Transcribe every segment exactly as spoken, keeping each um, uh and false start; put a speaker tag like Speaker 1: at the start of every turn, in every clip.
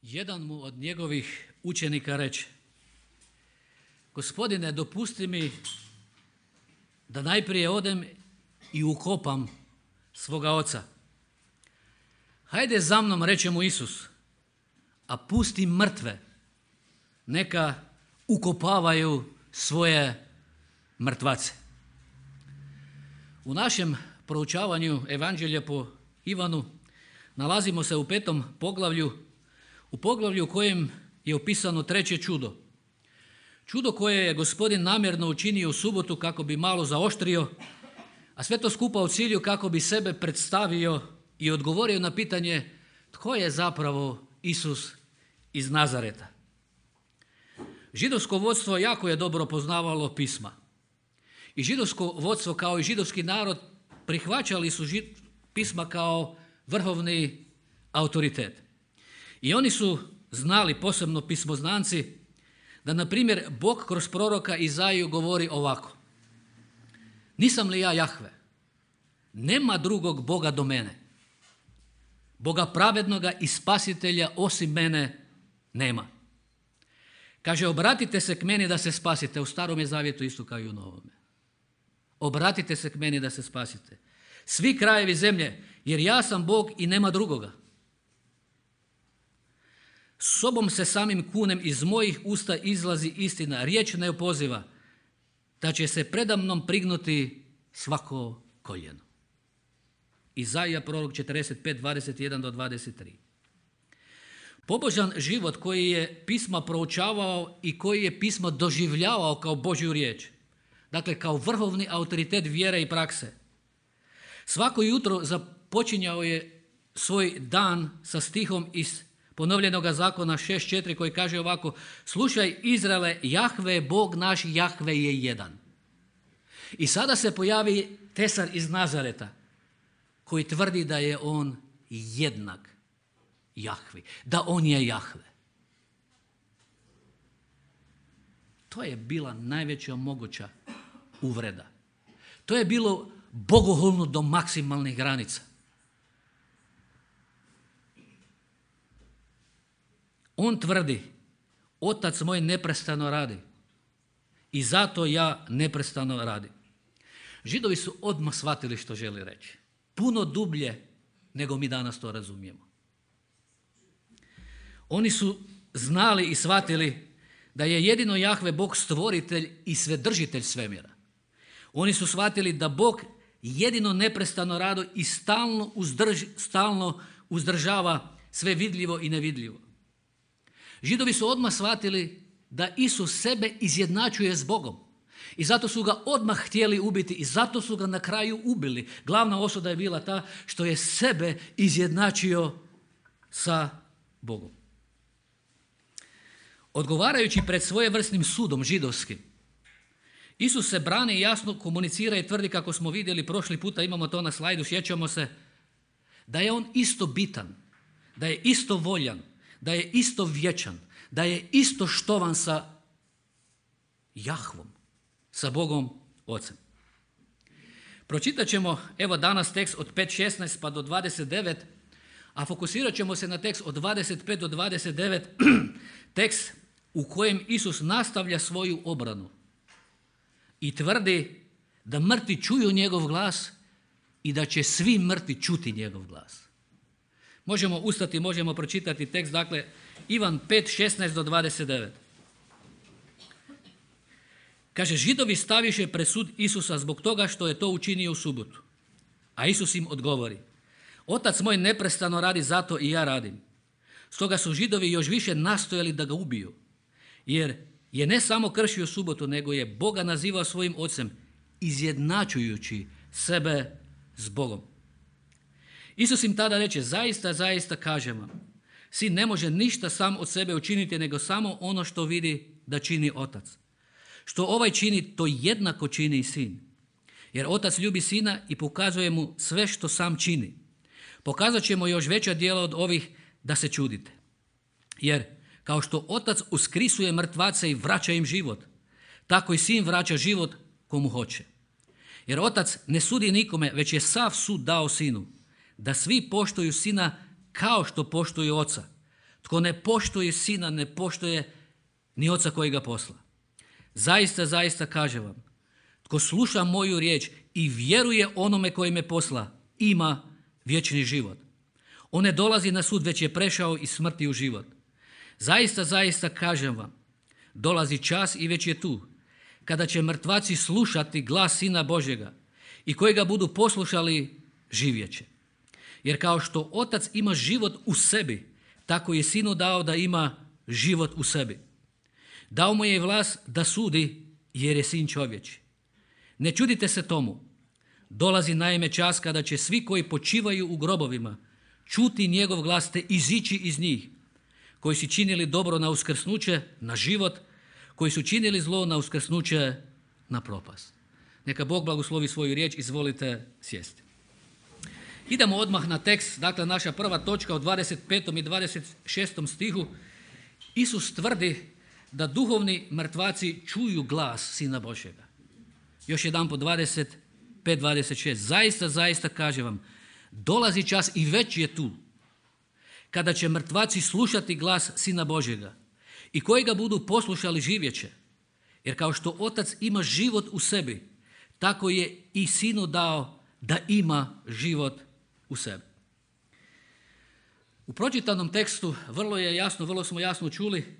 Speaker 1: Jedan mu od njegovih učenika reče: Gospodine, dopusti mi da najprije odem i ukopam svoga oca. Hajde za mnom, reče mu Isus, a pusti mrtve, neka ukopavaju svoje mrtvace. U našem proučavanju Evanđelja po Ivanu nalazimo se u petom poglavlju, u poglavlju u kojem je opisano treće čudo. Čudo koje je Gospodin namjerno učinio u subotu kako bi malo zaoštrio, a sve to skupa u cilju kako bi sebe predstavio i odgovorio na pitanje tko je zapravo Isus iz Nazareta. Židovsko vodstvo jako je dobro poznavalo pisma. I židovsko vodstvo kao i židovski narod prihvaćali su pisma kao vrhovni autoritet. I oni su znali, posebno pismoznanci, da na primjer Bog kroz proroka Izaiju govori ovako: nisam li ja Jahve? Nema drugog Boga do mene. Boga pravednoga i spasitelja osim mene nema. Kaže, obratite se k meni da se spasite. U Starom je zavjetu isto kao i u Novome. Obratite se k meni da se spasite. Svi krajevi zemlje, jer ja sam Bog i nema drugoga. Sobom se samim kunem iz mojih usta izlazi istina, riječ ne opoziva, da će se predamnom prignuti svako koljeno. Izaija prorok četrdeset pet, dvadeset jedan do dvadeset tri. Pobožan život koji je pisma proučavao i koji je pismo doživljavao kao Božju riječ, dakle kao vrhovni autoritet vjere i prakse. Svako jutro započinjao je svoj dan sa stihom iz ponovljenog zakona šest četiri koji kaže ovako: slušaj Izraele, Jahve, Bog naš Jahve je jedan. I sada se pojavi tesar iz Nazareta koji tvrdi da je on jednak Jahvi, da on je Jahve. To je bila najveća moguća uvreda. To je bilo bogohulno do maksimalnih granica. On tvrdi: Otac moj neprestano radi i zato ja neprestano radim. Židovi su odmah shvatili što želi reći. Puno dublje nego mi danas to razumijemo. Oni su znali i shvatili da je jedino Jahve Bog stvoritelj i svedržitelj svemira. Oni su shvatili da Bog jedino neprestano radi i stalno, uzdrž, stalno uzdržava sve vidljivo i nevidljivo. Židovi su odmah shvatili da Isus sebe izjednačuje s Bogom. I zato su ga odmah htjeli ubiti i zato su ga na kraju ubili. Glavna osuda je bila ta što je sebe izjednačio sa Bogom. Odgovarajući pred svojevrsnim sudom židovskim, Isus se brani i jasno komunicira i tvrdi, kako smo vidjeli prošli puta, imamo to na slajdu, sjećamo se, da je on isto bitan, da je isto voljan, da je isto vječan, da je isto štovan sa Jahvom, sa Bogom Ocem. Pročitat ćemo evo danas tekst od pet šesnaest pa do dvadeset devet, a fokusirat ćemo se na tekst od dvadeset pet do dvadeset devet, tekst u kojem Isus nastavlja svoju obranu i tvrdi da mrtvi čuju njegov glas i da će svi mrtvi čuti njegov glas. Možemo ustati, možemo pročitati tekst, dakle Ivan pet šesnaest do dvadeset devet. Kaže, Židovi staviše pred sud Isusa zbog toga što je to učinio u subotu. A Isus im odgovori: Otac moj neprestano radi, zato i ja radim. Stoga su Židovi još više nastojali da ga ubiju, jer je ne samo kršio subotu, nego je Boga nazivao svojim ocem, izjednačujući sebe s Bogom. Isus im tada reče: zaista, zaista kažem vam, sin ne može ništa sam od sebe učiniti, nego samo ono što vidi da čini otac. Što ovaj čini, to jednako čini i sin. Jer otac ljubi sina i pokazuje mu sve što sam čini. Pokazat ćemo još veća djela od ovih, da se čudite. Jer kao što otac uskrisuje mrtvace i vraća im život, tako i sin vraća život komu hoće. Jer otac ne sudi nikome, već je sav sud dao sinu, da svi poštuju sina kao što poštuju oca. Tko ne poštuje sina, ne poštuje ni oca koji ga posla. Zaista, zaista kažem vam, tko sluša moju riječ i vjeruje onome koji me posla, ima vječni život. On ne dolazi na sud, već je prešao iz smrti u život. Zaista, zaista kažem vam, dolazi čas i već je tu, kada će mrtvaci slušati glas Sina Božjega i koji ga budu poslušali, živjet će. Jer kao što Otac ima život u sebi, tako je Sinu dao da ima život u sebi. Dao mu je vlast da sudi, jer je Sin čovječi. Ne čudite se tomu. Dolazi naime čas kada će svi koji počivaju u grobovima čuti njegov glas te izići iz njih, koji su činili dobro na uskrsnuće, na život, koji su činili zlo na uskrsnuće, na propast. Neka Bog blagoslovi svoju riječ, izvolite sjesti. Idemo odmah na tekst, dakle naša prva točka u dvadeset petom i dvadeset šestom stihu. Isus tvrdi da duhovni mrtvaci čuju glas Sina Božjega. Još jedan po dvadeset pet dvadeset šest. Zaista, zaista kažem vam, dolazi čas i već je tu, kada će mrtvaci slušati glas Sina Božjega i koji ga budu poslušali, živjet će. Jer kao što Otac ima život u sebi, tako je i Sinu dao da ima život u sebi. U pročitanom tekstu vrlo je jasno, vrlo smo jasno čuli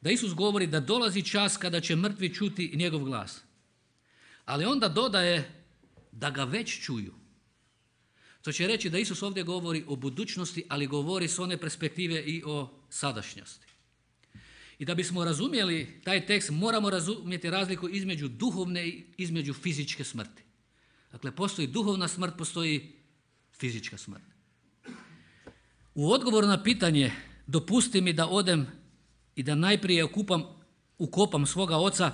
Speaker 1: da Isus govori da dolazi čas kada će mrtvi čuti njegov glas. Ali onda dodaje da ga već čuju. To će reći da Isus ovdje govori o budućnosti, ali govori s one perspektive i o sadašnjosti. I da bismo razumjeli taj tekst, moramo razumjeti razliku između duhovne i između fizičke smrti. Dakle, postoji duhovna smrt, postoji fizička smrt. U odgovoru na pitanje, dopusti mi da odem i da najprije okupam, ukopam svoga oca,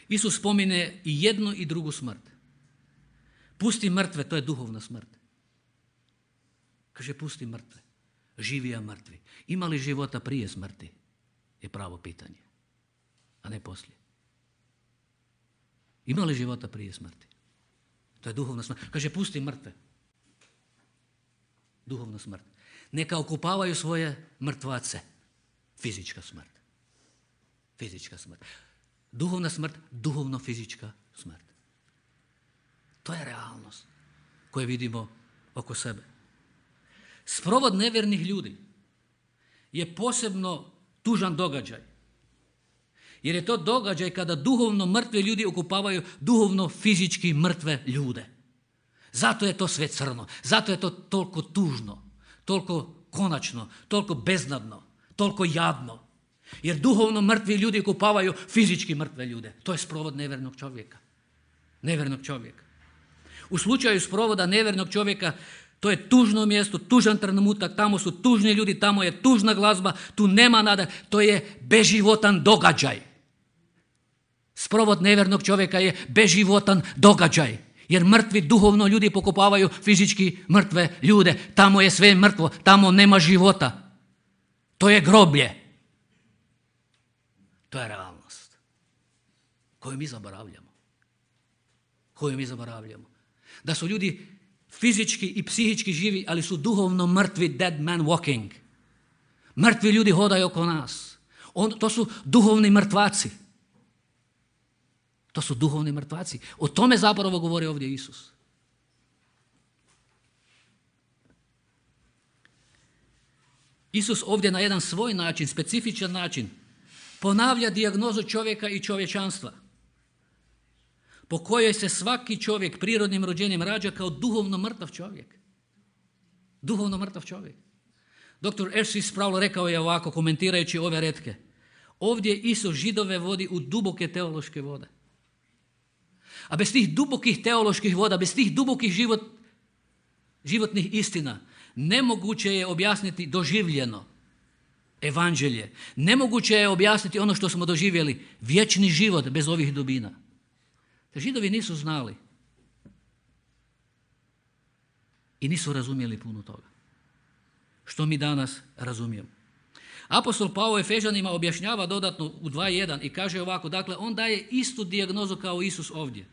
Speaker 1: Isus spomine i jednu i drugu smrt. Pusti mrtve, to je duhovna smrt. Kaže, pusti mrtve, živi a mrtvi. Ima li života prije smrti? Je pravo pitanje, a ne poslije. Ima li života prije smrti? To je duhovna smrt. Kaže, pusti mrtve. Duhovna smrt. Neka okupavaju svoje mrtvace. Fizička smrt. Fizička smrt. Duhovna smrt, duhovno-fizička smrt. To je realnost koju vidimo oko sebe. Sprovod nevjernih ljudi je posebno tužan događaj. Jer je to događaj kada duhovno mrtve ljudi okupavaju duhovno-fizički mrtve ljude. Zato je to sve crno. Zato je to toliko tužno, toliko konačno, toliko beznadno, toliko jadno. Jer duhovno mrtvi ljudi okupavaju fizički mrtve ljude. To je sprovod nevjernog čovjeka. Nevjernog čovjeka. U slučaju sprovoda nevjernog čovjeka, to je tužno mjesto, tužan trenutak, tamo su tužni ljudi, tamo je tužna glazba, tu nema nada, to je beživotan događaj. Sprovod nevjernog čovjeka je beživotan događaj, jer mrtvi duhovno ljudi pokopavaju fizički mrtve ljude, tamo je sve mrtvo, tamo nema života. To je groblje. To je realnost koju mi zaboravljamo. Koju mi zaboravljamo. Da su ljudi fizički i psihički živi, ali su duhovno mrtvi, dead man walking. Mrtvi ljudi hodaju oko nas. On, to su duhovni mrtvaci. To su duhovni mrtvaci. O tome zapravo govori ovdje Isus. Isus ovdje na jedan svoj način, specifičan način, ponavlja dijagnozu čovjeka i čovječanstva, po kojoj se svaki čovjek prirodnim rođenjem rađa kao duhovno mrtav čovjek. Duhovno mrtav čovjek. doktor R C Sproul rekao je ovako, komentirajući ove retke. Ovdje Isus Židove vodi u duboke teološke vode. A bez tih dubokih teoloških voda, bez tih dubokih život, životnih istina, nemoguće je objasniti doživljeno evanđelje. Nemoguće je objasniti ono što smo doživjeli, vječni život bez ovih dubina. Židovi nisu znali i nisu razumjeli puno toga, što mi danas razumijemo. Apostol Pavao Efežanima objašnjava dodatno u dva jedan i kaže ovako, dakle, on daje istu dijagnozu kao Isus ovdje.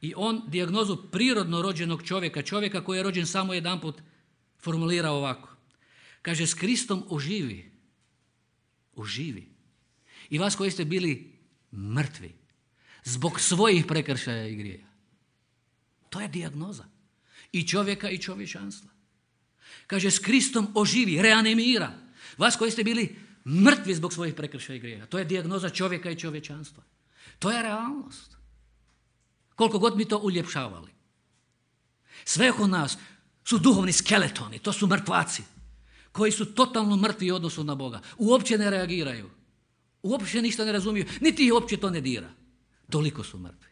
Speaker 1: I on dijagnozu prirodno rođenog čovjeka, čovjeka koji je rođen samo jedanput, formulira ovako. Kaže, s Kristom oživi. Oživi. I vas koji ste bili mrtvi zbog svojih prekršaja i grijeha. To je dijagnoza. I čovjeka i čovječanstva. Kaže, s Kristom oživi, reanimira. Vas koji ste bili mrtvi zbog svojih prekršaja i grijeha. To je dijagnoza čovjeka i čovječanstva. To je realnost. Koliko god mi to uljepšavali. Sve oko nas su duhovni skeletoni, to su mrtvaci koji su totalno mrtvi u odnosu na Boga. Uopće ne reagiraju. Uopće ništa ne razumiju, niti ih uopće to ne dira. Toliko su mrtvi.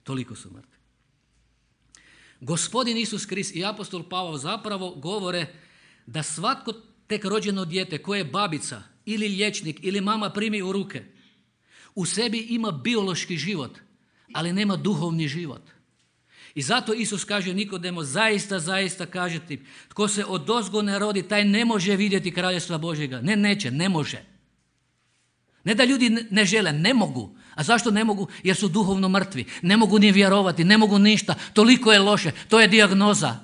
Speaker 1: Toliko su mrtvi. Gospodin Isus Krist i apostol Pavao zapravo govore da svatko tek rođeno dijete koje je babica ili liječnik ili mama primi u ruke, u sebi ima biološki život, ali nema duhovni život. I zato Isus kaže Nikodemo, zaista, zaista kaže ti, tko se odozgo ne rodi, taj ne može vidjeti kraljestva Božjega. Ne, neće, ne može. Ne da ljudi ne žele, ne mogu. A zašto ne mogu? Jer su duhovno mrtvi. Ne mogu ni vjerovati, ne mogu ništa. Toliko je loše. To je dijagnoza.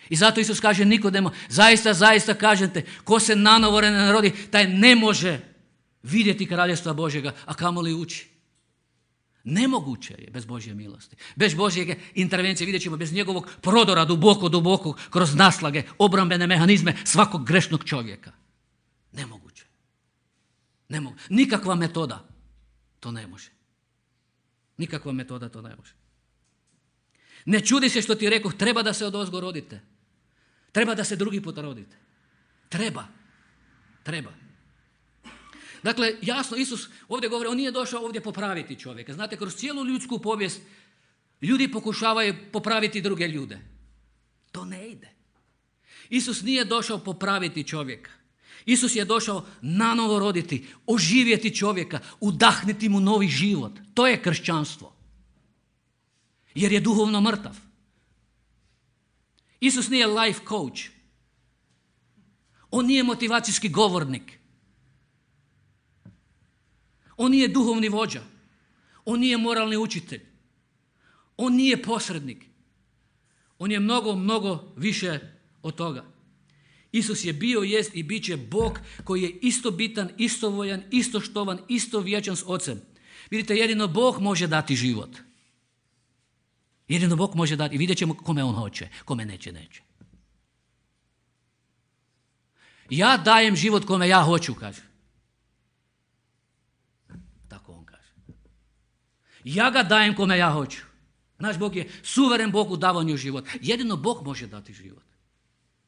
Speaker 1: I zato Isus kaže Nikodemo, zaista, zaista kažem te, ko se nanovo ne rodi, taj ne može vidjeti kraljestva Božjega, a kamoli ući. Nemoguće je bez Božje milosti. Bez Božje intervencije, vidjet ćemo, bez njegovog prodora duboko, duboko, kroz naslage, obrambene mehanizme svakog grešnog čovjeka. Nemoguće. Ne mogu. Nikakva metoda to ne može. Nikakva metoda to ne može. Ne čudi se što ti rekoh, treba da se odozgo rodite. Treba da se drugi put rodite. Treba. Treba. Dakle, jasno, Isus ovdje govori, on nije došao ovdje popraviti čovjeka. Znate, kroz cijelu ljudsku povijest ljudi pokušavaju popraviti druge ljude. To ne ide. Isus nije došao popraviti čovjeka. Isus je došao nanovo roditi, oživjeti čovjeka, udahniti mu novi život. To je kršćanstvo. Jer je duhovno mrtav. Isus nije life coach. On nije motivacijski govornik. On nije duhovni vođa. On nije moralni učitelj. On nije posrednik. On je mnogo, mnogo više od toga. Isus je bio, jest i bit će Bog koji je isto bitan, isto voljan, isto štovan, isto vječan s Ocem. Vidite, jedino Bog može dati život. Jedino Bog može dati. I vidjet ćemo kome on hoće, kome neće, neće. Ja dajem život kome ja hoću, kaže. Tako on kaže. Ja ga dajem kome ja hoću. Naš Bog je suveren Bog u davanju života. Jedino Bog može dati život.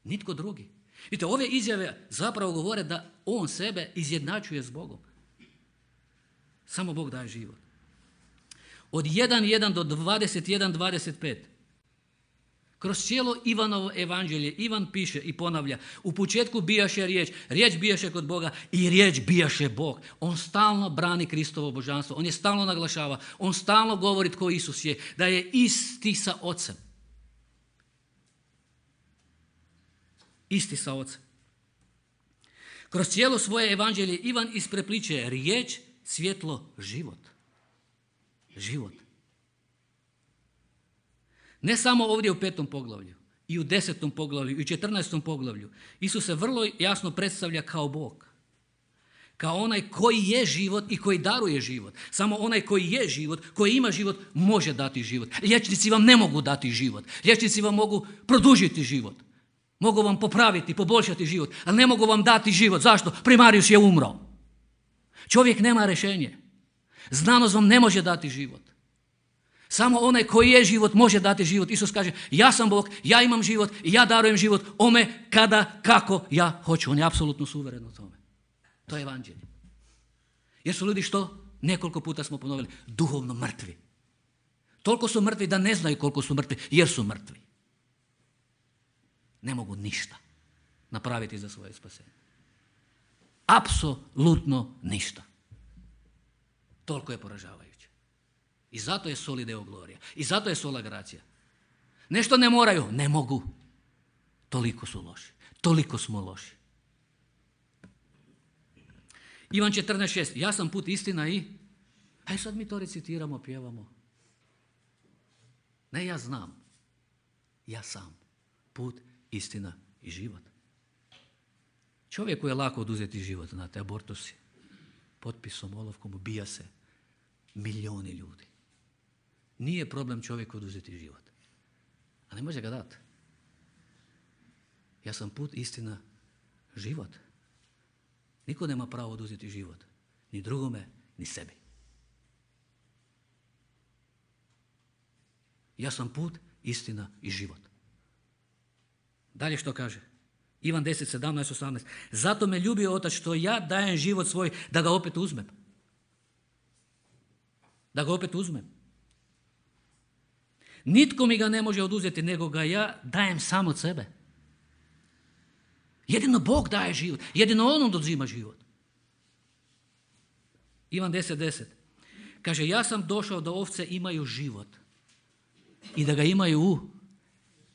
Speaker 1: Nitko drugi. Vidite, ove izjave zapravo govore da on sebe izjednačuje s Bogom. Samo Bog daje život. Od jedan jedan do dvadeset jedan dvadeset pet. Kroz cijelo Ivanovo evanđelje Ivan piše i ponavlja, u početku bijaše riječ, riječ bijaše kod Boga i riječ bijaše Bog. On stalno brani Kristovo božanstvo, on je stalno naglašava, on stalno govori tko Isus je, da je isti sa Ocem. Isti sa Ocem. Kroz cijelo svoje evanđelje Ivan isprepliče riječ, svjetlo, život. Život. Ne samo ovdje u petom poglavlju, i u desetom poglavlju, i u četrnaestom poglavlju. Isus se vrlo jasno predstavlja kao Bog. Kao onaj koji je život i koji daruje život. Samo onaj koji je život, koji ima život, može dati život. Liječnici vam ne mogu dati život. Liječnici vam mogu produžiti život. Mogu vam popraviti, poboljšati život, ali ne mogu vam dati život. Zašto? Primarius je umro. Čovjek nema rješenje. Znanost vam ne može dati život. Samo onaj koji je život može dati život. Isus kaže, ja sam Bog, ja imam život i ja darujem život ome kada, kako ja hoću. On je apsolutno suveren u tome. To je evanđelje. Jer su ljudi što? Nekoliko puta smo ponovili, duhovno mrtvi. Toliko su mrtvi da ne znaju koliko su mrtvi, jer su mrtvi. Ne mogu ništa napraviti za svoje spasenje. Apsolutno ništa. Toliko je poražavajuće. I zato je soli deo glorija. I zato je sola gracija. Nešto ne moraju, ne mogu. Toliko su loši. Toliko smo loši. Ivan četrnaest šest. Ja sam put, istina i... Aj sad mi to recitiramo, pjevamo. Ne, ja znam. Ja sam. Put, istina i život. Čovjeku je lako oduzeti život, znate, abortusi. Potpisom, olovkom, ubija se milijoni ljudi. Nije problem čovjeku oduzeti život. A ne može ga dati. Ja sam put, istina, život. Niko nema pravo oduzeti život. Ni drugome, ni sebi. Ja sam put, istina i život. Dalje što kaže? Ivan deset, sedamnaest, osamnaest. Zato me ljubio Otac što ja dajem život svoj da ga opet uzmem. Da ga opet uzmem. Nitko mi ga ne može oduzeti, nego ga ja dajem sam od sebe. Jedino Bog daje život. Jedino On oduzima život. Ivan deset, deset. Kaže, ja sam došao da ovce imaju život. I da ga imaju u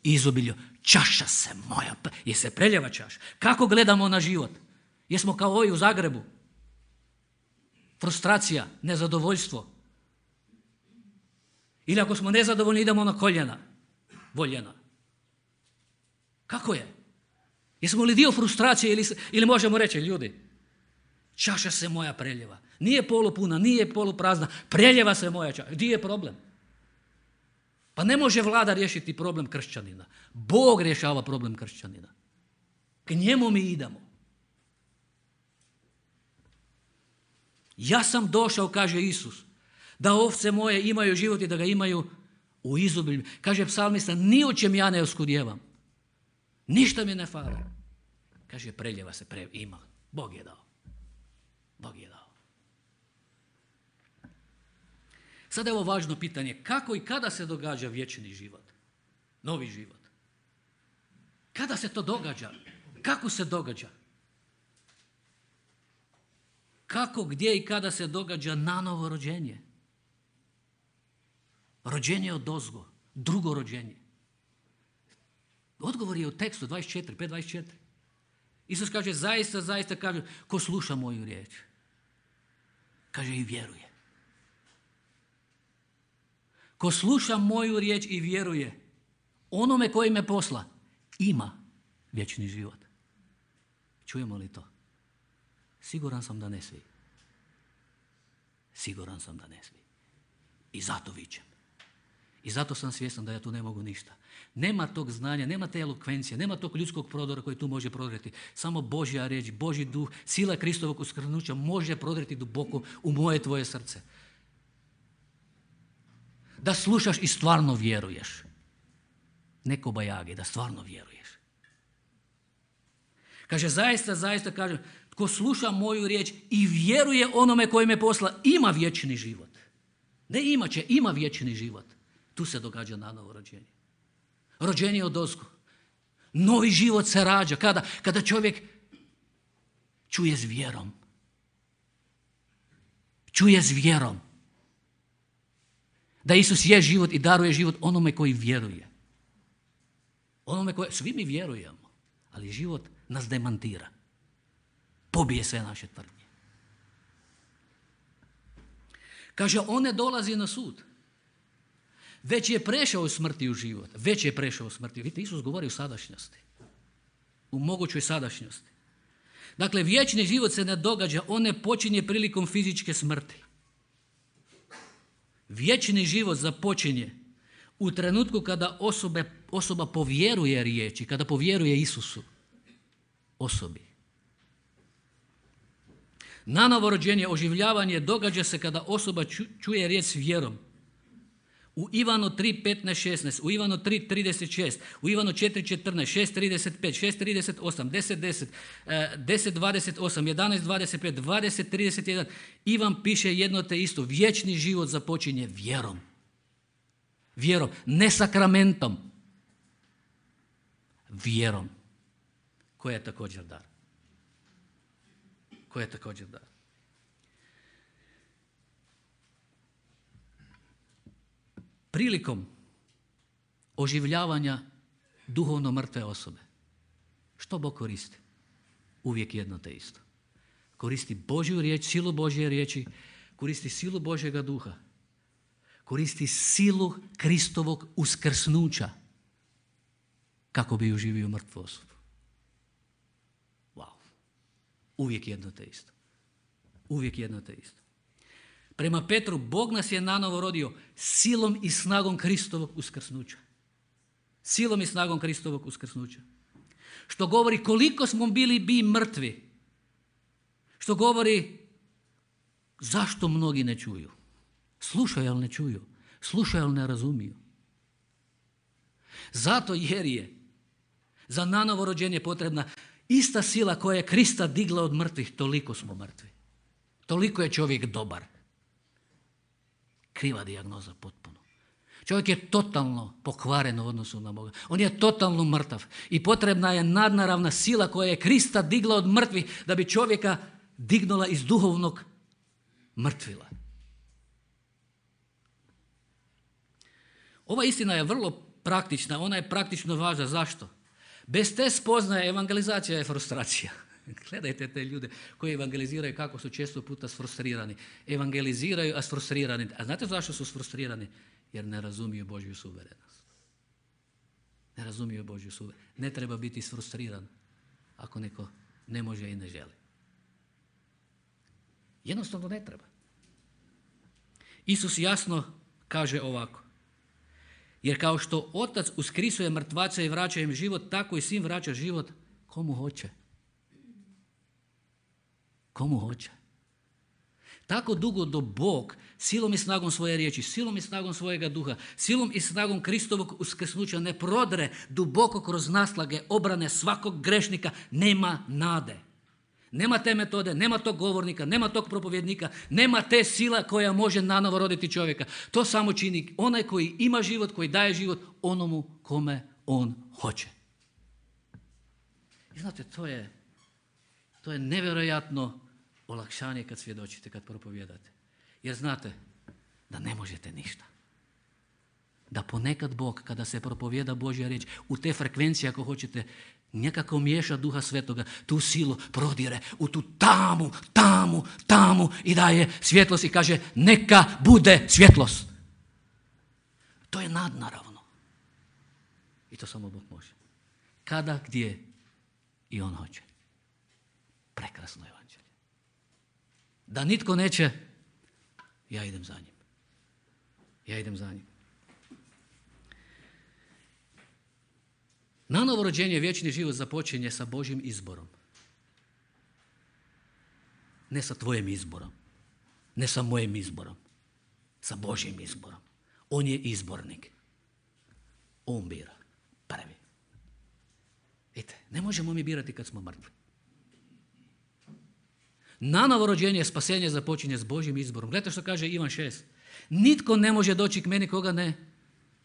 Speaker 1: izobilju. Čaša se moja, je se preljeva čaša. Kako gledamo na život? Jesmo kao ovi u Zagrebu? Frustracija, nezadovoljstvo. Ili ako smo nezadovoljni idemo na koljena, voljena. Kako je? Jesmo li dio frustracije ili, ili možemo reći, ljudi, čaša se moja preljeva. Nije polupuna, nije poluprazna, preljeva se moja čaša. Gdje je problem? Pa ne može vlada riješiti problem kršćanina. Bog rješava problem kršćanina. K njemu mi idemo. Ja sam došao, kaže Isus, da ovce moje imaju život i da ga imaju u izobilju. Kaže psalmista, ni o čem ja ne oskudjevam. Ništa mi ne fali. Kaže, preljeva se, pre... ima. Bog je dao. Bog je dao. Sada je ovo važno pitanje, kako i kada se događa vječni život? Novi život. Kada se to događa? Kako se događa? Kako, gdje i kada se događa nanovo rođenje? Rođenje od ozgo, drugo rođenje. Odgovor je u tekstu dvadeset četiri, pet dvadeset četiri. Isus kaže, zaista, zaista, kaže, ko sluša moju riječ, kaže i vjeruje. Ko sluša moju riječ i vjeruje onome koji me posla, ima vječni život. Čujemo li to? Siguran sam da ne svi. Siguran sam da ne svi. I zato vičem. I zato sam svjestan da ja tu ne mogu ništa. Nema tog znanja, nema te elokvencije, nema tog ljudskog prodora koji tu može prodreti. Samo Božja riječ, Božji duh, sila Kristovog uskrsnuća može prodreti duboko u moje tvoje srce. Da slušaš i stvarno vjeruješ. Ne ko bajage, da stvarno vjeruješ. Kaže, zaista, zaista, kaže, tko sluša moju riječ i vjeruje onome koji me posla, ima vječni život. Ne ima će, ima vječni život. Tu se događa nanovo rođenje. Rođenje od ozgo. Novi život se rađa. Kada? Kada čovjek čuje s vjerom. Čuje s vjerom. Da Isus je život i daruje život onome koji vjeruje. Onome koji, svi mi vjerujemo, ali život nas demantira. Pobije sve naše tvrdnje. Kaže, on ne dolazi na sud. Već je prešao u smrti u život. Već je prešao u smrti. Vidite, Isus govori u sadašnjosti. U mogućoj sadašnjosti. Dakle, vječni život se ne događa, on ne počinje prilikom fizičke smrti. Vječni život započinje u trenutku kada osobe, osoba povjeruje riječi, kada povjeruje Isusu osobi. Nanovo rođenje, oživljavanje događa se kada osoba čuje riječ s vjerom. U Ivanu tri, petnaest, šesnaest, u Ivanu tri, trideset šest, u Ivanu četiri, četrnaest, šest, trideset pet, šest, trideset osam, deset, deset, deset, dvadeset osam, jedanaest, dvadeset pet, dvadeset, trideset jedan. Ivan piše jedno te isto. Vječni život započinje vjerom. Vjerom, ne sakramentom. Vjerom. Koja je također dar. Koja je također dar. Prilikom oživljavanja duhovno mrtve osobe, što Bog koristi? Uvijek jedno te isto. Koristi Božju riječ, silu Božje riječi, koristi silu Božjega duha, koristi silu Kristovog uskrsnuća kako bi oživio mrtvu osobu. Wow. Uvijek jedno te isto. Uvijek jedno te isto. Prema Petru, Bog nas je nanovo rodio silom i snagom Kristovog uskrsnuća. Silom i snagom Kristovog uskrsnuća. Što govori koliko smo bili bi mrtvi. Što govori zašto mnogi ne čuju. Slušaju, ali ne čuju. Slušaju, ali ne razumiju. Zato jer je za nanovo rođenje potrebna ista sila koja je Krista digla od mrtvih, toliko smo mrtvi. Toliko je čovjek dobar. Kriva dijagnoza potpuno. Čovjek je totalno pokvaren u odnosu na Boga. On je totalno mrtav. I potrebna je nadnaravna sila koja je Krista digla od mrtvih da bi čovjeka dignula iz duhovnog mrtvila. Ova istina je vrlo praktična. Ona je praktično važna. Zašto? Bez te spoznaje evangelizacija je frustracija. Gledajte te ljude koji evangeliziraju kako su često puta sfrustrirani. Evangeliziraju, a sfrustrirani. A znate zašto su sfrustrirani? Jer ne razumiju Božju suverenost. Ne razumiju Božju suverenost. Ne treba biti sfrustriran ako neko ne može i ne želi. Jednostavno ne treba. Isus jasno kaže ovako. Jer kao što Otac uskrisuje mrtvace i vraća im život, tako i Sin vraća život komu hoće. Komu hoće. Tako dugo do Bog silom i snagom svoje riječi, silom i snagom svojega duha, silom i snagom Kristovog uskrsnuća ne prodre duboko kroz naslage obrane svakog grešnika, nema nade. Nema te metode, nema tog govornika, nema tog propovjednika, nema te sila koja može nanovo roditi čovjeka. To samo čini onaj koji ima život, koji daje život onomu kome on hoće. I znate, to je, to je nevjerojatno olakšanje kad svjedočite, kad propovijedate. Jer znate da ne možete ništa. Da ponekad Bog, kada se propovijeda Božja riječ, u te frekvencije, ako hoćete, nekako miješa Duha Svetoga, tu silu prodire u tu tamu, tamu, tamu i daje svjetlost i kaže neka bude svjetlost. To je nadnaravno. I to samo Bog može. Kada, gdje i on hoće. Prekrasno evanđelje. Da nitko neće, ja idem za njim. Ja idem za njim. Nanovo rođenje, vječni život započinje sa Božjim izborom. Ne sa tvojim izborom. Ne sa mojim izborom. Sa Božjim izborom. On je izbornik. On bira. Prvi. Vidite, ne možemo mi birati kad smo mrtvi. Nanovo rođenje, spasenje započinje s Božjim izborom. Gledajte što kaže Ivan šest. Nitko ne može doći k meni koga ne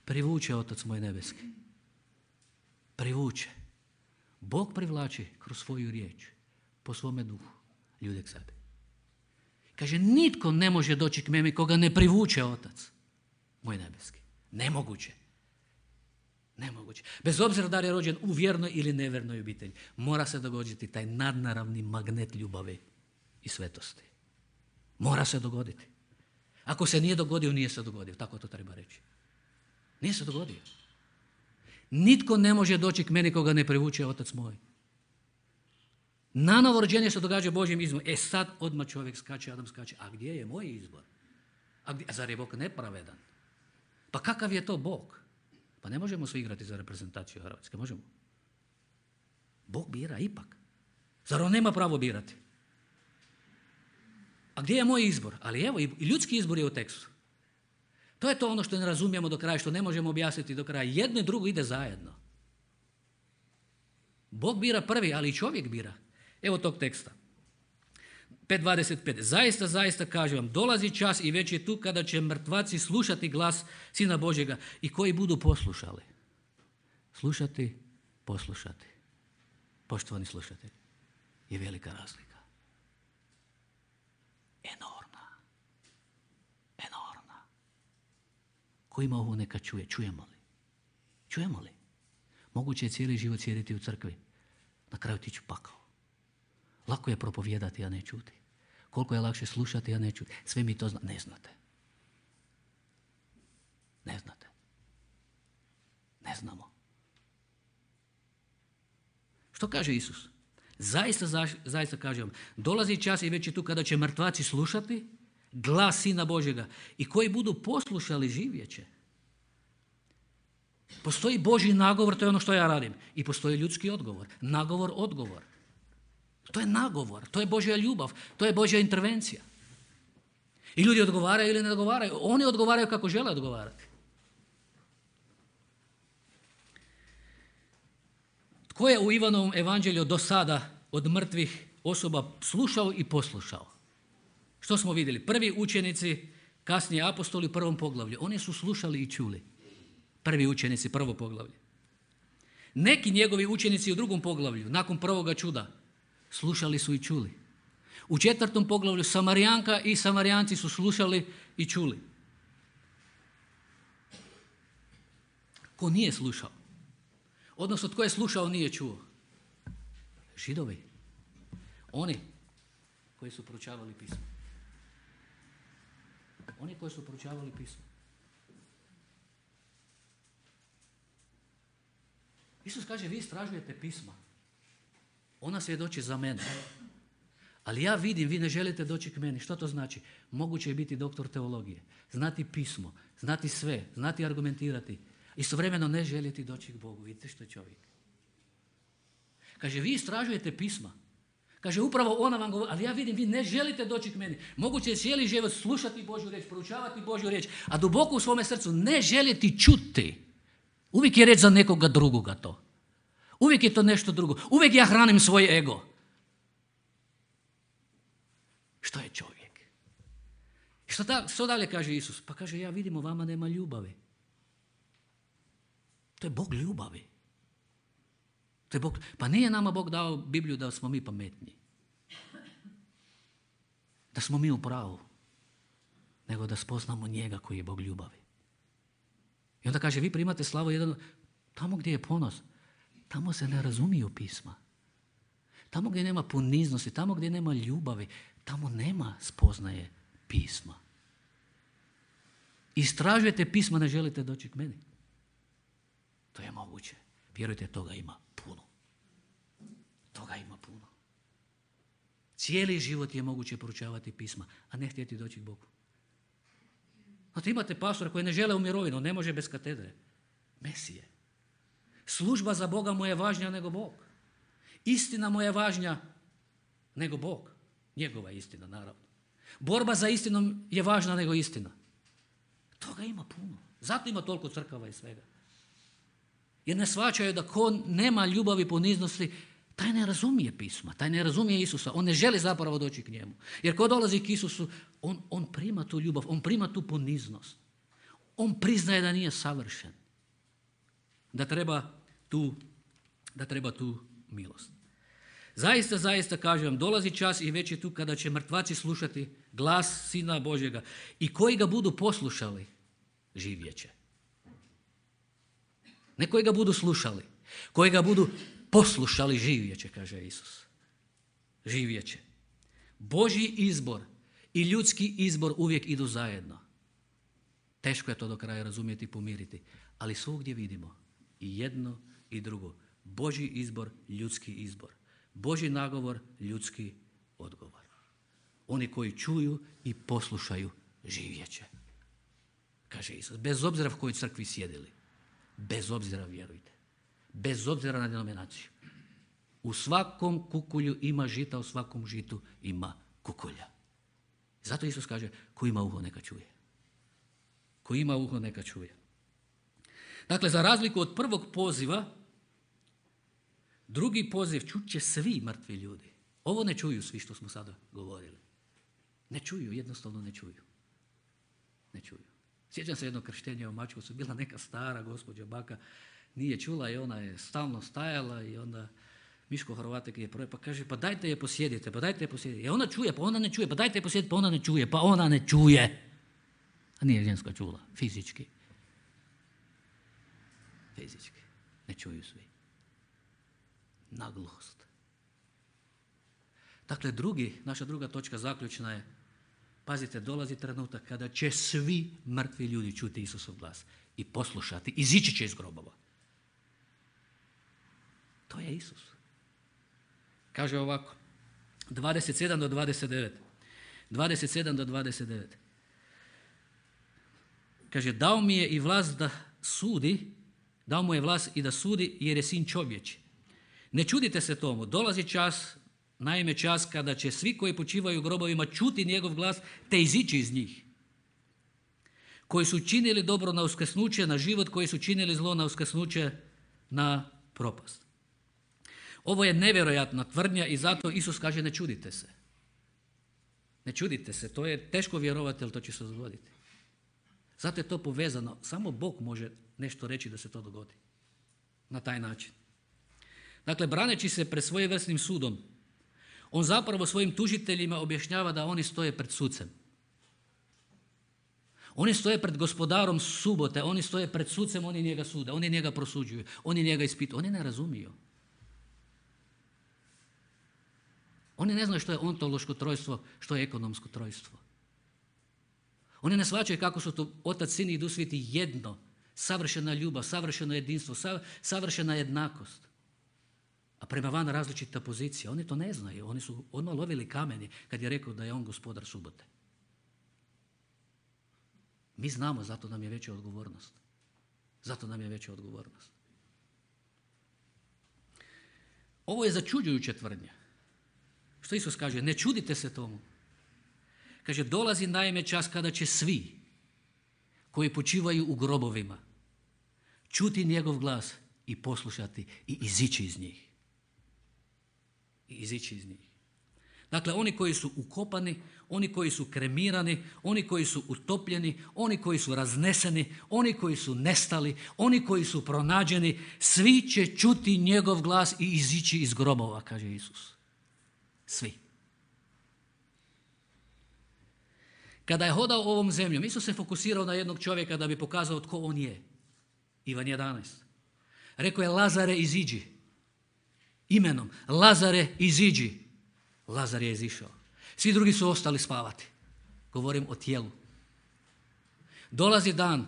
Speaker 1: privuče Otac moj nebeski. Privuče. Bog privlači kroz svoju riječ, po svome duhu, ljude k sebi. Kaže, nitko ne može doći k meni koga ne privuče Otac moj nebeski. Nemoguće. Nemoguće. Bez obzira da li je rođen u vjernoj ili nevjernoj obitelji, mora se dogoditi taj nadnaravni magnet ljubavi i svetosti. Mora se dogoditi. Ako se nije dogodio, nije se dogodio. Tako to treba reći. Nije se dogodio. Nitko ne može doći k meni koga ne privuče Otac moj. Nanovo rođenje se događa Božjim izborom. E sad odmah čovjek skače, Adam skače. A gdje je moj izbor? A, gdje, a zar je Bog nepravedan? Pa kakav je to Bog? Pa ne možemo svi igrati za reprezentaciju Hrvatske, možemo. Bog bira ipak. Zar on nema pravo birati? A gdje je moj izbor? Ali evo, i ljudski izbor je u tekstu. To je to ono što ne razumijemo do kraja, što ne možemo objasniti do kraja. Jedno i drugo ide zajedno. Bog bira prvi, ali i čovjek bira. Evo tog teksta. pet dvadeset pet. Zaista, zaista kažem vam, dolazi čas i već je tu kada će mrtvaci slušati glas Sina Božjega i koji budu poslušali. Slušati, poslušati. Poštovani slušatelji, je velika razlika. Enormna. Enormna. Ko ima ovo neka čuje. Čujemo li? Čujemo li? Moguće je cijeli život sjediti u crkvi. Na kraju tići pakao. Lako je propovijedati, a ne čuti. Koliko je lakše slušati, a ne čuti. Sve mi to zna. Ne znate. Ne znate. Ne znamo. Što kaže Isus? Zaista, zaista kažem vam, dolazi čas i već je tu kada će mrtvaci slušati glas Sina Božjega i koji budu poslušali živjet će. Postoji Božji nagovor, to je ono što ja radim. I postoji ljudski odgovor. Nagovor, odgovor. To je nagovor, to je Božja ljubav, to je Božja intervencija. I ljudi odgovaraju ili ne odgovaraju. Oni odgovaraju kako žele odgovarati. Tko je u Ivanovom evanđelju do sada od mrtvih osoba slušao i poslušao? Što smo vidjeli? Prvi učenici, kasnije apostoli u prvom poglavlju. Oni su slušali i čuli. Prvi učenici, prvo poglavlje. Neki njegovi učenici u drugom poglavlju, nakon prvoga čuda, slušali su i čuli. U četvrtom poglavlju Samarijanka i Samarijanci su slušali i čuli. Ko nije slušao? Odnosno, tko je slušao, nije čuo? Židovi. Oni koji su proučavali pismo. Oni koji su proučavali pismo. Isus kaže, vi istražujete pisma. Ona svjedoči za mene. Ali ja vidim, vi ne želite doći k meni. Što to znači? Moguće je biti doktor teologije. Znati pismo, znati sve, znati argumentirati. Istovremeno ne željeti doći k Bogu. Vidite što je čovjek. Kaže, vi istražujete pisma. Kaže, upravo ona vam govori, ali ja vidim, vi ne želite doći k meni. Moguće je cijeli život slušati Božju riječ, proučavati Božju riječ, a duboko u svome srcu ne željeti čuti. Uvijek je reč za nekoga drugoga to. Uvijek je to nešto drugo. Uvijek ja hranim svoj ego. Što je čovjek? Što, da, što dalje kaže Isus? Pa kaže, ja vidim u vama nema ljubavi. To je Bog ljubavi. To je Bog. Pa nije nama Bog dao Bibliju da smo mi pametni. Da smo mi u pravu. Nego da spoznamo njega koji je Bog ljubavi. I onda kaže, vi primate slavu jedan, tamo gdje je ponos, tamo se ne razumiju pisma. Tamo gdje nema poniznosti, tamo gdje nema ljubavi, tamo nema spoznaje pisma. Istražujete pisma, ne želite doći k meni. To je moguće. Vjerujte, toga ima puno. Toga ima puno. Cijeli život je moguće proučavati pisma, a ne htjeti doći k Bogu. Znate, imate pastora koji ne žele u mirovinu, ne može bez katedre. Mesije. Služba za Boga mu je važnija nego Bog. Istina mu je važnija nego Bog. Njegova istina, naravno. Borba za istinom je važna nego istina. Toga ima puno. Zato ima toliko crkava i svega. Jer ne shvaćaju da ko nema ljubavi, poniznosti, taj ne razumije pisma, taj ne razumije Isusa. On ne želi zapravo doći k njemu. Jer ko dolazi k Isusu, on, on prima tu ljubav, on prima tu poniznost. On priznaje da nije savršen. Da treba tu, da treba tu milost. Zaista, zaista kažem vam, dolazi čas i već je tu kada će mrtvaci slušati glas Sina Božjega i koji ga budu poslušali, živjet će. Ne koji ga budu slušali, koji ga budu poslušali, živjet će, kaže Isus. Živjet će. Božji izbor i ljudski izbor uvijek idu zajedno. Teško je to do kraja razumjeti i pomiriti, ali svugdje vidimo i jedno i drugo. Božji izbor, ljudski izbor. Božji nagovor, ljudski odgovor. Oni koji čuju i poslušaju, živjet će. Kaže Isus, bez obzira u kojoj crkvi sjedili. Bez obzira, vjerujte. Bez obzira na denominaciju. U svakom kukulju ima žita, u svakom žitu ima kukulja. Zato Isus kaže, ko ima uho neka čuje. Ko ima uho neka čuje. Dakle, za razliku od prvog poziva, drugi poziv čut će svi mrtvi ljudi. Ovo ne čuju svi što smo sada govorili. Ne čuju, jednostavno ne čuju. Ne čuju. Sjećam se jednog krštenja u Mačkovcu, bila neka stara gospođa baka, nije čula i ona je stalno stajala i onda Miško Horvatek je prvo, pa kaže, pa dajte je posjedite, pa dajte je posjedite. I ona čuje, pa ona ne čuje, pa dajte je posjedite, pa ona ne čuje, pa ona ne čuje. A nije ženska čula, fizički. Fizički. Ne čuju svi. Nagluhost. Dakle, drugi, naša druga točka zaključna je, pazite, dolazi trenutak kada će svi mrtvi ljudi čuti Isusov glas i poslušati, izići će iz grobova. To je Isus. Kaže ovako, dvadeset sedam do dvadeset devet. dvadeset sedam do dvadeset devet. Kaže, dao mi je i vlast da sudi, dao mu je vlast i da sudi jer je sin čovječi. Ne čudite se tomu, dolazi čas, naime čas kada će svi koji počivaju u grobovima čuti njegov glas te izići iz njih. Koji su činili dobro na uskrsnuće, na život, koji su činili zlo na uskrsnuće, na propast. Ovo je nevjerojatna tvrdnja i zato Isus kaže ne čudite se. Ne čudite se, to je teško vjerovati, ali to će se dogoditi. Zato je to povezano. Samo Bog može nešto reći da se to dogodi. Na taj način. Dakle, braneći se pred svojevrsnim sudom, on zapravo svojim tužiteljima objašnjava da oni stoje pred sucem. Oni stoje pred gospodarom subote, oni stoje pred sucem, oni njega sude, oni njega prosuđuju, oni njega ispituju. Oni ne razumiju. Oni ne znaju što je ontološko trojstvo, što je ekonomsko trojstvo. Oni ne shvaćaju kako su to Otac, Sin i Duh Sveti jedno, savršena ljubav, savršeno jedinstvo, savršena jednakost. A prema van različita pozicija. Oni to ne znaju. Oni su odmah lovili kamenje kad je rekao da je on gospodar subote. Mi znamo, zato nam je veća odgovornost. Zato nam je veća odgovornost. Ovo je začuđujuća tvrdnja. Što Isus kaže? Ne čudite se tomu. Kaže, dolazi naime čas kada će svi koji počivaju u grobovima čuti njegov glas i poslušati i izići iz njih. I izići iz njih. Dakle, oni koji su ukopani, oni koji su kremirani, oni koji su utopljeni, oni koji su razneseni, oni koji su nestali, oni koji su pronađeni, svi će čuti njegov glas i izići iz grobova, kaže Isus. Svi. Kada je hodao ovom zemljom, Isus se fokusirao na jednog čovjeka da bi pokazao tko on je. Ivan jedanaest. Rekao je, Lazare, iziđi. Imenom, Lazare, iziđi. Lazar je izišao. Svi drugi su ostali spavati. Govorim o tijelu. Dolazi dan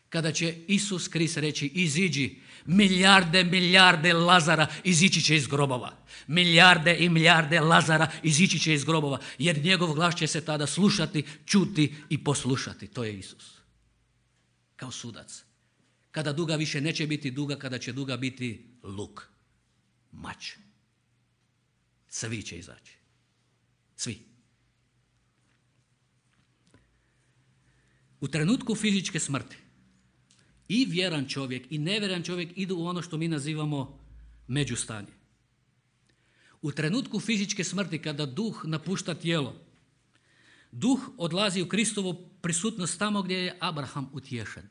Speaker 1: kada će Isus Krist reći, iziđi. Milijarde, milijarde Lazara izići će iz grobova. Milijarde i milijarde Lazara izići će iz grobova, jer njegov glas će se tada slušati, čuti i poslušati. To je Isus. Kao sudac. Kada duga više neće biti duga, kada će duga biti luk. Mač. Svi će izaći. Svi. U trenutku fizičke smrti i vjeran čovjek i nevjeran čovjek idu u ono što mi nazivamo međustanje. U trenutku fizičke smrti, kada duh napušta tijelo, duh odlazi u Kristovu prisutnost tamo gdje je Abraham utješen.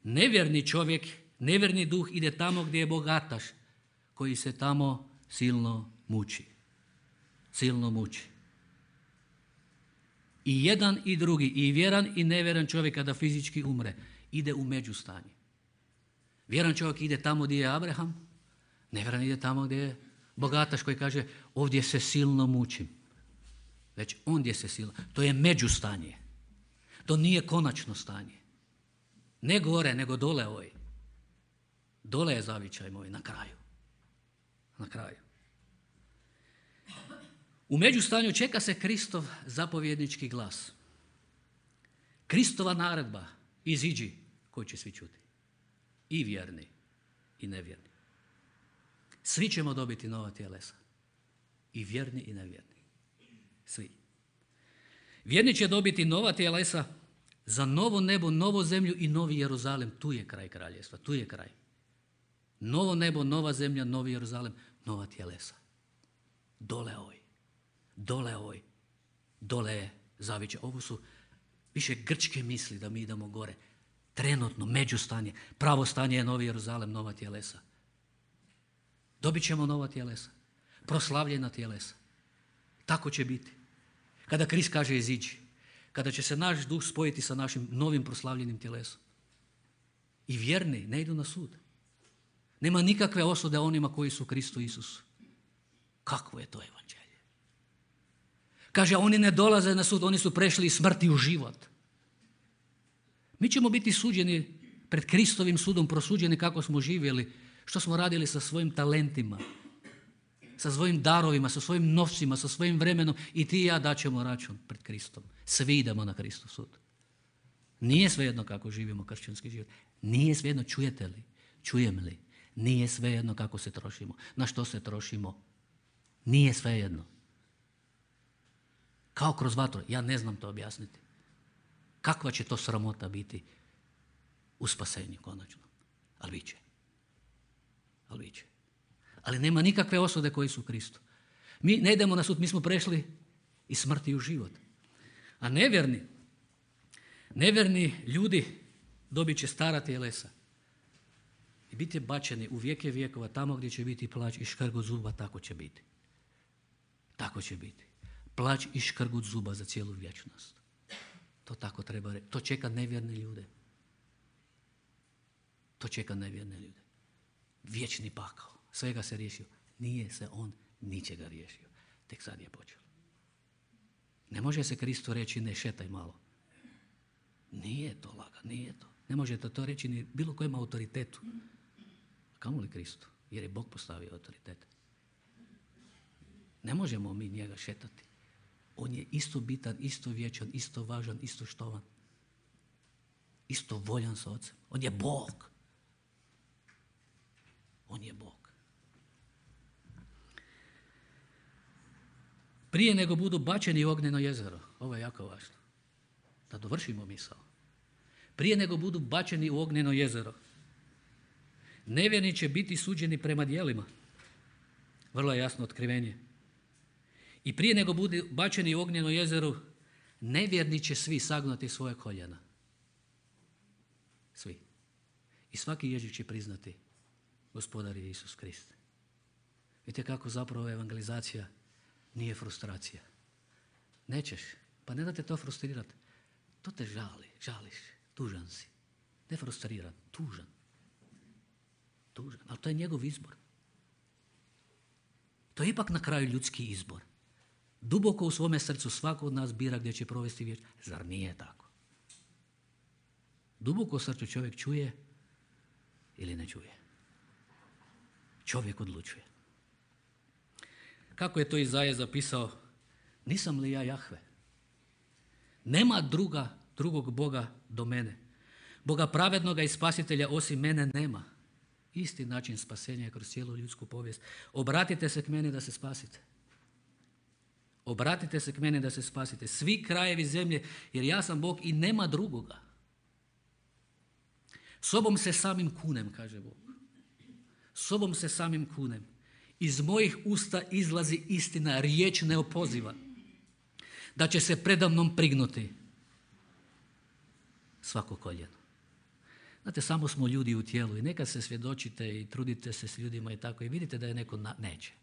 Speaker 1: Nevjerni čovjek, nevjerni duh ide tamo gdje je bogataš, koji se tamo silno muči. Silno muči. I jedan i drugi, i vjeran i nevjeran čovjek kada fizički umre, ide u međustanje. Vjeran čovjek ide tamo gdje je Abraham, nevjeran ide tamo gdje je bogataš koji kaže, ovdje se silno mučim. Već ondje se silno. To je međustanje. To nije konačno stanje. Ne gore, nego dole ovoj. Dole je zavičaj moj, na kraju. Na kraju. U međustanju čeka se Kristov zapovjednički glas. Kristova naredba, iziđi, koji će svi čuti. I vjerni, i nevjerni. Svi ćemo dobiti nova tjelesa. I vjerni, i nevjerni. Svi. Vjerni će dobiti nova tjelesa za novo nebo, novu zemlju i novi Jeruzalem. Tu je kraj kraljevstva, tu je kraj. Novo nebo, nova zemlja, novi Jeruzalem, nova tjelesa. Dole ovoj. Dole ovoj. Dole je zavičaj. Ovo su više grčke misli da mi idemo gore. Trenutno, međustanje. Pravo stanje je novi Jeruzalem, nova tjelesa. Dobit ćemo nova tjelesa. Proslavljena tjelesa. Tako će biti. Kada Krist kaže iziđi. Kada će se naš duh spojiti sa našim novim proslavljenim tjelesom. I vjerni ne idu na sud. Nema nikakve osude onima koji su u Kristu Isusu. Kakvo je to evanđelje? Kaže, oni ne dolaze na sud, oni su prešli iz smrti u život. Mi ćemo biti suđeni pred Kristovim sudom, prosuđeni kako smo živjeli, što smo radili sa svojim talentima, sa svojim darovima, sa svojim novcima, sa svojim vremenom i ti i ja daćemo račun pred Kristom. Svi idemo na Kristov sud. Nije svejedno kako živimo kršćanski život. Nije svejedno, čujete li? Čujem li? Nije svejedno kako se trošimo. Na što se trošimo? Nije svejedno. Kao kroz vatru. Ja ne znam to objasniti. Kakva će to sramota biti u spasenju konačno? Ali bit će. Ali bit će. Ali nema nikakve osude koji su u Kristu. Mi ne idemo na sud, mi smo prešli iz smrti u život. A nevjerni, nevjerni ljudi dobit će stara tjelesa i biti bačeni u vijeke vijekova, tamo gdje će biti plać i škrgut zuba, tako će biti. Tako će biti. Plać i škrgut zuba za cijelu vječnost. To tako treba reći. To čeka nevjerne ljude. To čeka nevjerne ljude. Vječni pakao. Svega se riješio. Nije se on ničega riješio. Tek sad je počelo. Ne može se Kristu reći ne šetaj malo. Nije to laga, nije to. Ne možete to reći ni bilo kojem autoritetu. Kamo li Kristu? Jer je Bog postavio autoritet. Ne možemo mi njega šetati. On je isto bitan, isto vječan, isto važan, isto štovan. Isto voljan sa Ocem. On je Bog. On je Bog. Prije nego budu bačeni u ognjeno jezero, ovo je jako važno, da dovršimo misao. Prije nego budu bačeni u ognjeno jezero, nevjerni će biti suđeni prema djelima. Vrlo je jasno otkrivenje. I prije nego budu bačeni u ognjeno jezero, nevjerni će svi sagnuti svoje koljena. Svi. I svaki jezik će priznati Gospodar je Isus Krist. Vidite kako zapravo evangelizacija nije frustracija. Nećeš, pa ne da te to frustrirati. To te žali, žališ, tužan si. Ne frustriran, tužan. Tužan, ali to je njegov izbor. To je ipak na kraju ljudski izbor. Duboko u svome srcu svako od nas bira gdje će provesti vječnost. Zar nije tako? Duboko u srcu čovjek čuje ili ne čuje. Čovjek odlučuje. Kako je to Izaja zapisao? Nisam li ja Jahve? Nema druga, drugog Boga do mene. Boga pravednoga i spasitelja osim mene nema. Isti način spasenja je kroz cijelu ljudsku povijest. Obratite se k meni da se spasite. Obratite se k meni da se spasite. Svi krajevi zemlje, jer ja sam Bog i nema drugoga. Sobom se samim kunem, kaže Bog. Sobom se samim kunem. Iz mojih usta izlazi istina, riječ neopoziva. Da će se predamnom prignuti svako koljeno. Znate, samo smo ljudi u tijelu i nekad se svjedočite i trudite se s ljudima i tako i vidite da je neko na... neće.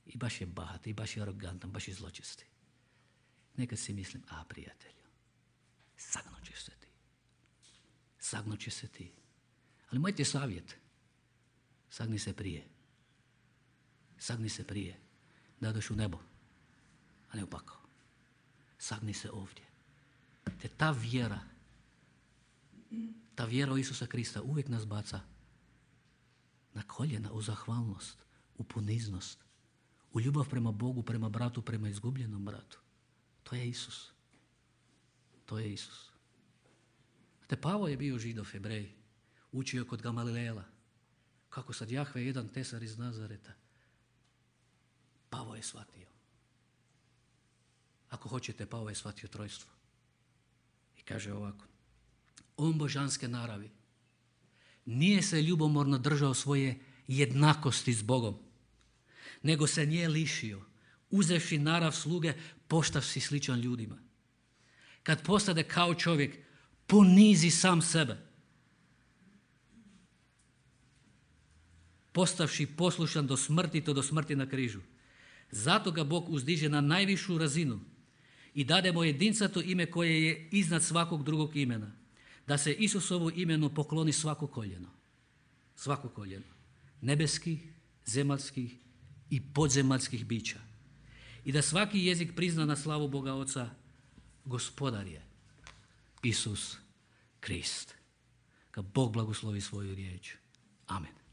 Speaker 1: I baš je bahat, i baš je arogantan, baš je zločesti. Nekad si mislim, a prijatelju, sagnut ćeš se ti. Sagnut će se ti. Ali moj ti savjet, sagni se prije. Sagni se prije da doš u nebo, a ne u pakao. Sagni se ovdje. Te ta vjera, ta vjera u Isusa Krista uvijek nas baca na koljena, u zahvalnost, u poniznost, u ljubav prema Bogu, prema bratu, prema izgubljenom bratu. To je Isus. To je Isus. Te Pavo je bio Židov, Hebrej, učio kod Gamalilela. Kako sad Jahve jedan tesar iz Nazareta. Pavo je shvatio. Ako hoćete, Pavo je shvatio trojstvo. I kaže ovako. On božanske naravi nije se ljubomorno držao svoje jednakosti s Bogom, nego se nje lišio, uzevši narav sluge, postavši sličan ljudima. Kad postade kao čovjek, ponizi sam sebe. Postavši poslušan do smrti, to do smrti na križu. Zato ga Bog uzdiže na najvišu razinu i dade mu jedincato ime koje je iznad svakog drugog imena. Da se Isusovu imenu pokloni svako koljeno. Svako koljeno. Nebeskih, zemaljskih i podzemaljskih bića. I da svaki jezik prizna na slavu Boga Oca, Gospodar je Isus Krist. Kad Bog blagoslovi svoju riječ. Amen.